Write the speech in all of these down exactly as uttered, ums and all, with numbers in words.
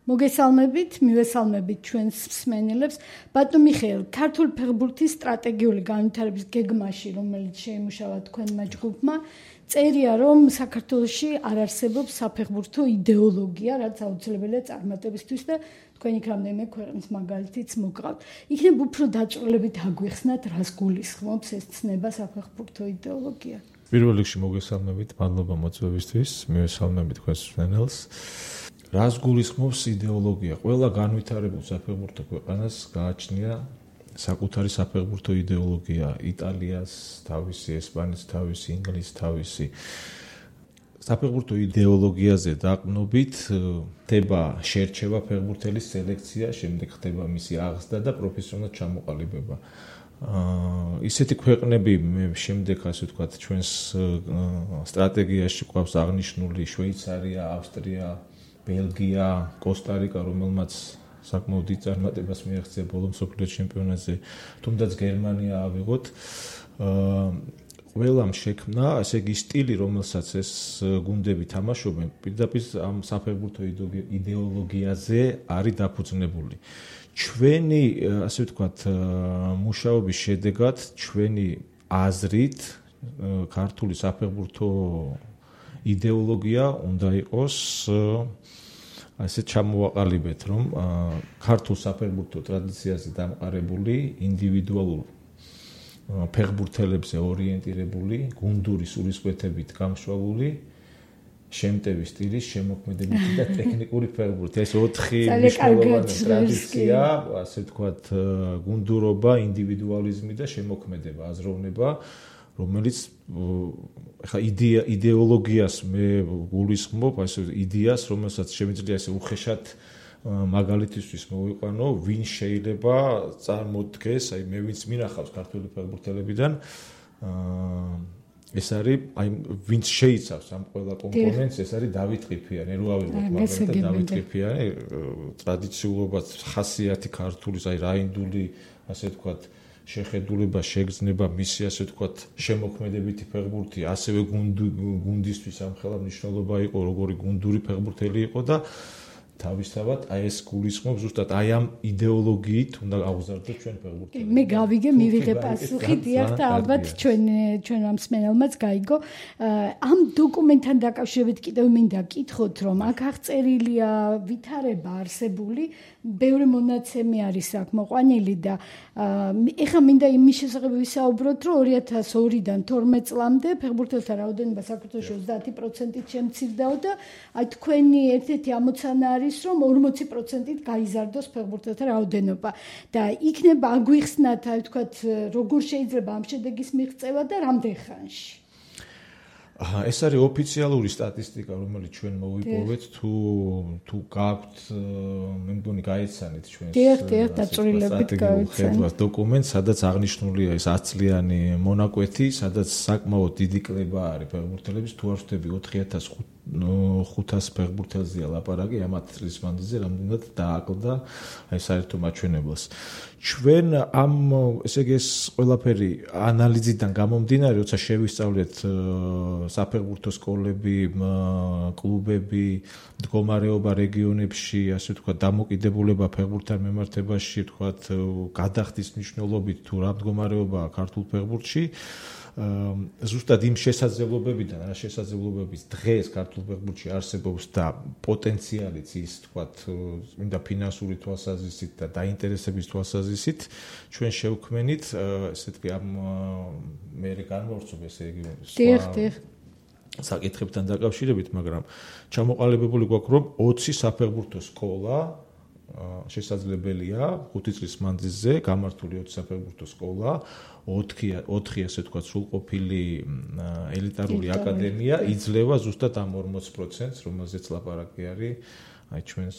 მოგესალმებით, მივესალმებით ჩვენს მსმენელებს. ბატონო მიხეილ, ქართული ფეხბურთის სტრატეგიული განვითარების გეგმაში, რომელიც შეიმუშავა თქვენმა ჯგუფმა, წერია, რომ საქართველოში არ არსებობს საფეხბურთო იდეოლოგია, რაც აუცილებელია წარმატებისთვის და თქვენ იქ რამდენიმე ქვეყნის მაგალითიც მოგყავთ. იქნებ უფრო დაწვრილებით აგვიხსნათ, რას გულისხმობს ეს ცნება საფეხბურთო იდეოლოგია. პირველ რიგში მოგესალმებით, მადლობა მოწვევისთვის, მივესალმებით თქვენს მსმენელს. რას გულისხმობს იდეოლოგია? ყველა განვითარებულ საფეხბურთო ქვეყანას გააჩნია საკუთარი საფეხბურთო იდეოლოგია. იტალიას თავისი, ესპანეთის თავისი, ინგლისის თავისი. საფეხბურთო იდეოლოგიაზე დაყრდნობით ხდება შერჩევა ფეხბურთელის სელექცია, შემდეგ ხდება მისი აღზრდა და პროფესიონალურად ჩამოყალიბება. აა ისეთი ქვეყნები მე შემდეგ ასე ვთქვათ ჩვენს სტრატეგიაში გვაქვს აღნიშნული შვეიცარია, ავსტრია, ბელგია, კოსტა-რიკა, რომელმაც საკმაოდ დიდ წარმატებას მიაღწია ბოლო მსოფლიო ჩემპიონატზე, თუმდაც გერმანია ავიღოთ. აა ყველამ შექმნა ესე იგი სტილი, რომელსაც ეს გუნდები თამაშობენ, პირდაპირ ამ საფეხბურთო იდეოლოგიაზე არის დაფუძნებული. ჩვენი, ასე ვთქვათ, მუშაობის შედეგად, ჩვენი აზრით, ქართული საფეხბურთო იდეოლოგია უნდა იყოს ასე ჩამოვაყალიბეთ, რომ ქართულ საფეხბურთო ტრადიციაზე დამყარებული, ინდივიდუალურ ფეხბურთელებზე ორიენტირებული, გუნდური სულისკვეთებით გამშვალული, შემტევი სტილის, შემოქმედებითი და ტექნიკური ფეხბურთი. ეს ოთხი მნიშვნელოვანი ტრადიცია, ასე ვთქვათ, გუნდურობა, ინდივიდუალიზმი და შემოქმედება, აზროვნება, რომელიც ხა იდეა იდეოლოგიას მე გულისხმობ, ასე იდეას, რომელსაც შემიძლია ესე უხეშად მაგალითისთვის მოვიყვანო, ვინ შეიძლება წარმოდგეს, აი მე ვინც მინახავს ქართული ფეხბურთელებიდან, აა ეს არის, აი ვინც შეიცავს ამ ყველა კომპონენტს, ეს არის დავით ყიფიანი, რო ავიღოთ მაგალითად დავით ყიფიანი, ტრადიციულობა, ხასიათი ქართულის, აი რაინდული, ასე ვთქვათ, შეხედულება, შეგრძნება, მისი ასე ვთქვათ, შემოქმედებითი ფეხბურთი, ასევე გუნდისთვის ამხელა მნიშვნელობა იყო, როგორი გუნდური ფეხბურთელი იყო და თავისთავად აი ეს გულისხმობს ზუსტად აი ამ იდეოლოგიით უნდა აღზარდოთ ჩვენ ფეხბურთელს. მე გავიგე, მივიღე პასუხი, დიახ და ალბათ ჩვენ ჩვენ ამ მსმენელმაც გაიგო. ამ დოკუმენტთან დაკავშირებით კიდევ მინდა გკითხოთ, რომ აქ აღწერილია ვითარება არსებული, ბევრი მონაცემი არის აქ მოყვანილი და ეხლა მინდა იმის შესახებ ვისაუბროთ, რომ ორი ათას ორიდან თორმეტ წლამდე ფეხბურთელთა რაოდენობა საქართველოში ოცდაათი პროცენტით შემცირდაო და აი თქვენი ერთ-ერთი ამოცანა არის რომ ორმოცი პროცენტით გაიზარდოს ფეხბურთელთა რაოდენობა და იქნება აგვიხსნათ, აი ვთქვათ, როგორ შეიძლება ამ შედეგის მიღწევა და რამდენ ხანში. აჰა, ეს არის ოფიციალური სტატისტიკა, რომელიც ჩვენ მოვიპოვეთ, თუ თუ გაქვთ, მე მგონი გაეცანით ჩვენს დაწვრილებით გაეცანით დოკუმენტს, სადაც აღნიშნულია ეს ათწლიანი მონაკვეთი, სადაც საკმაოდ დიდი კლება არის ფეხბურთელების, თუ არ ვთქვი ოთხი ათას ხუთას ფეხბურთელზეა ლაპარაკი, ამ ათ წლის მანძილზე რამდენად დააკლდა აი საერთო მაჩვენებლს. ჩვენ ამ ესე იგი ეს ყველაფერი ანალიზიდან გამომდინარე, როცა შევისწავლეთ საფეხბურთო სკოლები, კლუბები, მდგომარეობა რეგიონებში, ასე ვთქვათ, დამოკიდებულება ფეხბურთთან მიმართებაში, ვთქვათ, გადახდის მნიშვნელობით თუ რა მდგომარეობაა ქართულ ფეხბურთში, ზუსტად იმ შესაძლებლობებიდან, რა შესაძლებლობების დღეს ქართულ ფეხბურთში არსებობს და პოტენციალიც ის, ვთქვათ, მინდა ფინანსური თვალსაზრისით და დაინტერესების თვალსაზრისით, ჩვენ შევქმნით, ესე ვთქვი, ამ მე განმორწმობ, ესე იგი, საკითხებთან დაკავშირებით, მაგრამ ჩამოყალიბებული გვაქვს, რომ ოცი საფეხბურთო სკოლა შესაძლებელია ხუთი წლის მანძილზე გამართული ოცი საფეხბურთო სკოლა, ოთხი ოთხი ასე ვთქვათ, სრულყოფილი ელიტარული აკადემია იძლევა ზუსტად ამ ორმოც პროცენტს, რომელზეც ლაპარაკი არის აი ჩვენს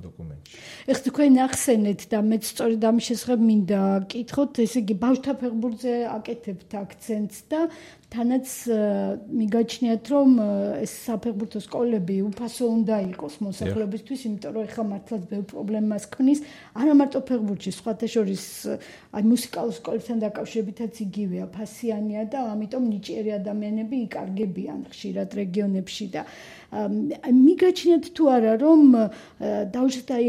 დოკუმენტში. ეხლა თქვენ ახსენეთ და მეც სწორედ ამის შესახებ მინდა გკითხოთ, ესე იგი ბავშვთა ფეხბურთზე აკეთებთ აქცენტს და თანაც მიგაჩნიათ რომ ეს საფეხბურთო სკოლები უფასო უნდა იყოს მოსახლეობისთვის, იმიტომ რომ ეხლა მართლაც ბევრ პრობლემას ქმნის, არა მარტო ფეხბურთში, სხვათა შორის აი მუსიკალურ სკოლებთან დაკავშირებითაც იგივეა, ფასიანია და ამიტომ ნიჭიერი ადამიანები იკარგებიან ხშირად რეგიონებში და მიგაჩნიათ თუ არა რომ დავუშვათ აი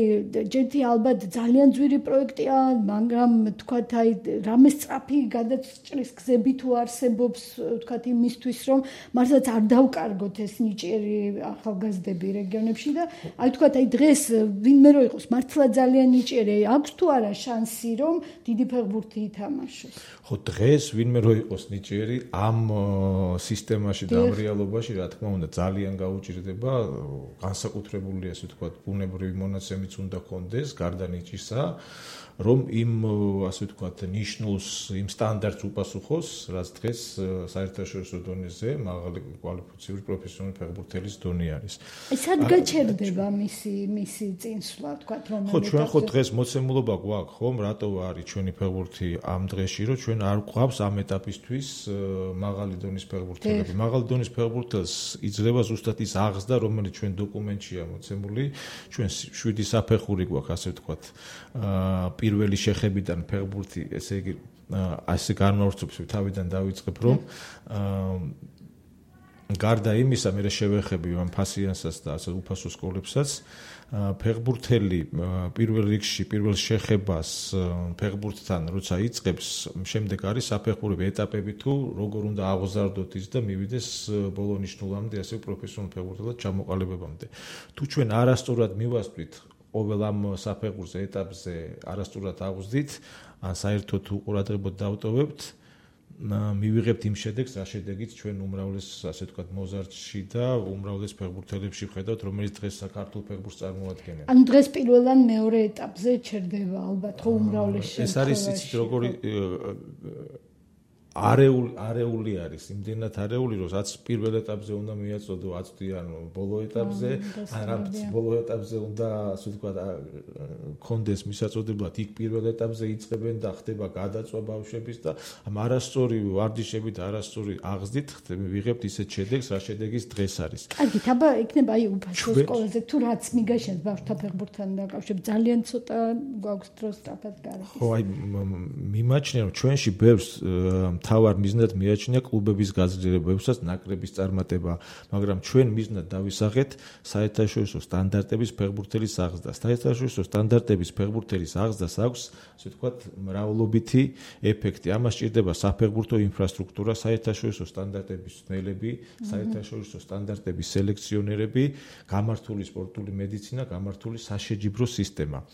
ჯერთი ალბათ ძალიან ძვირი პროექტია, მაგრამ თქვათ აი რამე სწრაფი გადაჭრის გზები თუ არსებობს, თქვათ იმისთვის რომ მართლაც არ დავკარგოთ ეს ნიჭიერი ახალგაზრდები რეგიონებში და აი თქვათ აი დღეს ვინმე რო იყოს მართლა ძალიან ნიჭიერი, აქვს თუ არა შანსი რომ დიდი ფეხბურთი ითამაშოს? ხო, დღეს ვინმე რო იყოს ნიჭიერი ამ სისტემაში და ამ რეალობაში რა თქმა უნდა ძალიან გაუჭირდება, განსაკუთრებული ასე ვთქვათ ბუნებრივი მონაცემიც უნდა ჰქონდეს გარდა ნიჭისა, რომ იმ ასე ვთქვათ ნიშნულს იმ სტანდარტს უპასუხოს, რაც დღეს საერთაშორისო დონეზე მაღალი კვალიფიციური პროფესიონალი ფეხბურთელის დონე არის. აი სად გაჩერდება მისი მისი წინსვლა, ვთქვათ რომ ხო, ჩვენ ხო დღეს მოცემულობა გვაქვს, ხომ, რატო არის ჩვენი ფეხბურთი ამ დღეში, რომ ჩვენ არ გვყავს ამ ეტაპისთვის მაღალი დონის ფეხბურთელები. მაღალი დონის ფეხბურთელს იძლევა ზუსტად ის აღზრდა, რომელიც ჩვენ დოკუმენტშია მოცემული, ჩვენ შვიდი საფეხური გვაქვს, ასე ვთქვათ, პირველი შეხებიდან ფეხბურთი, ესე იგი, ასე განმავრცობს თავიდან დავიწყებ, რომ გარდა იმისა, მე შევეხები ამ ფასიანსას და ასე უფასო სკოლებსაც, ფეხბურთელი პირველ რიგში, პირველ შეხებას ფეხბურთთან როცა იწყებს, შემდეგ არის საფეხურები ეტაპები თუ როგორ უნდა აღზარდოთ ის და მივიდეს ბოლო ნიშნულამდე, ასე პროფესიონალ ფეხბურთელად ჩამოყალიბებამდე. თუ ჩვენ არასწორად მივასწრით ყოველ ამ საფეხურზე ეტაპზე არასწორად აღვზდით, ან საერთოდ უყურადღებოდ დავტოვებთ, მივიღებთ იმ შედეგს, რა შედეგიც ჩვენ უმრავლეს, ასე ვთქვათ, მოზარდში და უმრავლეს ფეხბურთელებში ვხედავთ, რომელიც დღეს საქართველოს ფეხბურთს წარმოადგენენ. ანუ დღეს პირველად მეორე ეტაპზე ჩერდება ალბათ, ხო უმრავლეს შემთხვევაში. ეს არის იცით როგორი არეული არეული არის, იმდენად არეული, რომ რაც პირველ ეტაპზე უნდა მიაწოდო, აწვდიან ბოლო ეტაპზე, ან რაც ბოლო ეტაპზე უნდა, ასე ვთქვათ, კონდეს მისაწოდებლად, იქ პირველ ეტაპზე იწყებენ და ხდება გადაწვა ბავშვების და ამ არასწორი ვარჯიშები და არასწორი აღზრდით ვიღებთ ისეთ შედეგს, რა შედეგის დღეს არის. კარგი, აბა იქნება აი უფასო სკოლაზე, თუ რაც მიგაშენს ბავშვთა ფეხბურთთან დაკავშირებით, ძალიან ცოტა გვაქვს დრო სწრაფად გარეთ. ხო, აი მიმაჩნია, რომ ჩვენში ბევრს თავარ მიზნად მიაჩნია კლუბების გაძლიერებებსაც ნაკრების წარმატება, მაგრამ ჩვენ მიზნად დავისახეთ საერთაშორისო სტანდარტების ფეხბურთელის აღზრდას. საერთაშორისო სტანდარტების ფეხბურთელის აღზრდას აქვს, ასე ვთქვათ, მრავლობითი ეფექტი. ამას სჭირდება საფეხბურთო ინფრასტრუქტურა, საერთაშორისო სტანდარტების ცნელები, საერთაშორისო სტანდარტების სელექციონერები, გამართული სპორტული მედიცინა, გამართული საშეჯიბრო სისტემა.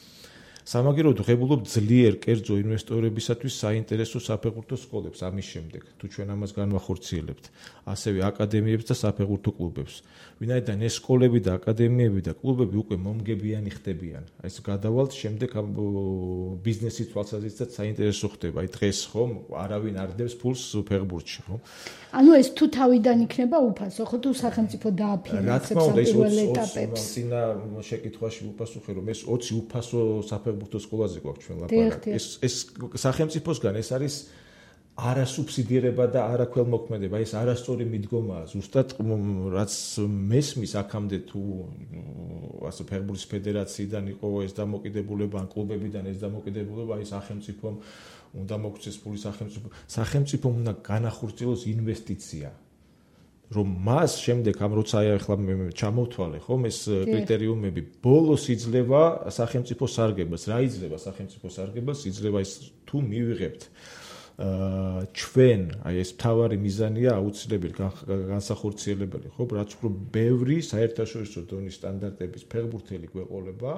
სამაგიეროდ ვღებულობ ძლიერ კერძო ინვესტორებისათვის საინტერესო საფეხბურთო სკოლებს ამის შემდეგ, თუ ჩვენ ამას განვახორციელებთ, ასევე აკადემიებს და საფეხბურთო კლუბებს. ვინაიდან ეს სკოლები და აკადემიები და კლუბები უკვე მომგებიანი ხდებიან. აი ეს გადავალთ შემდეგ ბიზნესის თვალსაზრისითაც საინტერესო ხდება. აი დღეს ხომ არავინ არ დებს ფულს ფეხბურთში, ხო? ანუ ეს თუ თავიდან იქნება უფასო, ხო თუ სახელმწიფო დააფინანსებს ამ პირველ ეტაპებს. წინა შეკითხვაში ვუპასუხე, რომ ეს ოცი უფასო საფეხბურთო სკოლაზე გვაქვს ჩვენ ლაპარაკი. ეს ეს სახელმწიფოსგან ეს არის არასუბსიდირება და არაქველმოქმედება, ეს არასწორი მიდგომაა. ზუსტად რაც მესმის აქამდე თუ ასე ფეხბურთის ფედერაციიდან იყო ეს დამოკიდებულება, ან კლუბებიდან ეს დამოკიდებულება, აი სახელმწიფომ უნდა მოგცეს ფული სახელმწიფო. სახელმწიფომ უნდა განახორციელოს ინვესტიცია. რომ მას შემდეგ ამ როცა ახლა ჩამოვთვალე ხომ ეს კრიტერიუმები ბოლოს იძლევა სახელმწიფო სარგებელს. რა იძლევა სახელმწიფო სარგებელს? იძლევა ის თუ მივიღებთ ჩვენ, აი ეს მთავარი მიზანია აუცილებელი განსახორციელებელი, ხო, რაც უფრო ბევრი საერთაშორისო დონის სტანდარტების ფეხბურთელი გვეყოლება.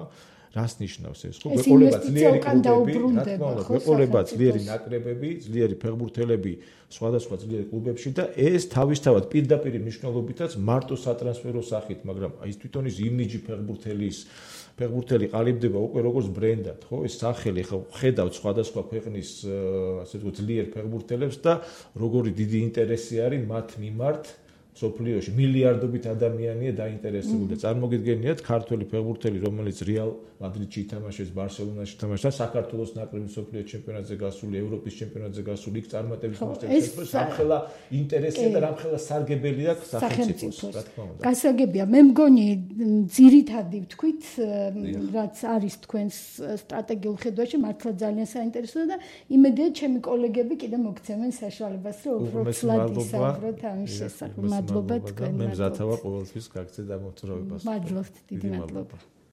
რას ნიშნავს ეს? ხო, გვეყოლება ძლიერი კლუბები, რა თქმა უნდა, გვეყოლება ძლიერი ნაკრებები, ძლიერი ფეხბურთელები სხვადასხვა ძლიერ კლუბებში და ეს თავისთავად პირდაპირ მნიშვნელობითაც მარტო სატრანსფერო სახით, მაგრამ ის თვითონ ის იმიჯი ფეხბურთელის ფეხბურთელი ყალიბდება უკვე როგორც ბრენდად, ხო? ეს სახელი ხო ხედავთ სხვადასხვა ქვეყნის ასე ვთქვათ ძლიერ ფეხბურთელებს და როგორი დიდი ინტერესი არის მათ მიმართ სოფლიოში მილიარდობით ადამიანია დაინტერესებული და წარმოგიდგენიათ ქართველი ფეხბურთელი რომელიც რეალ მადრიდში ითამაშეს, ბარსელონაში ითამაშა, საქართველოს ნაკრები სოფლიო ჩემპიონატზე გასული, ევროპის ჩემპიონატზე გასული, იქ წარმატების მოსწრებს ამხელა ინტერესია და რამხელა სარგებელი აქვს სახელმწიფოს, რა თქმა უნდა. გასაგებია, მე მგონი ძირითადი ვთქვით, რაც არის თქვენს სტრატეგიულ ხედვაში, მართლა ძალიან საინტერესოა და იმედია ჩემი კოლეგები კიდე მოგცემენ საშუალებას, რომ უფრო ცლად ისაუბროთ ამის შესახებ. მადლობა თქვენ. მე მზად ვარ ყოველთვის გაგცეთ ამ მოთხრობებას. მადლობთ, დიდი მადლობა.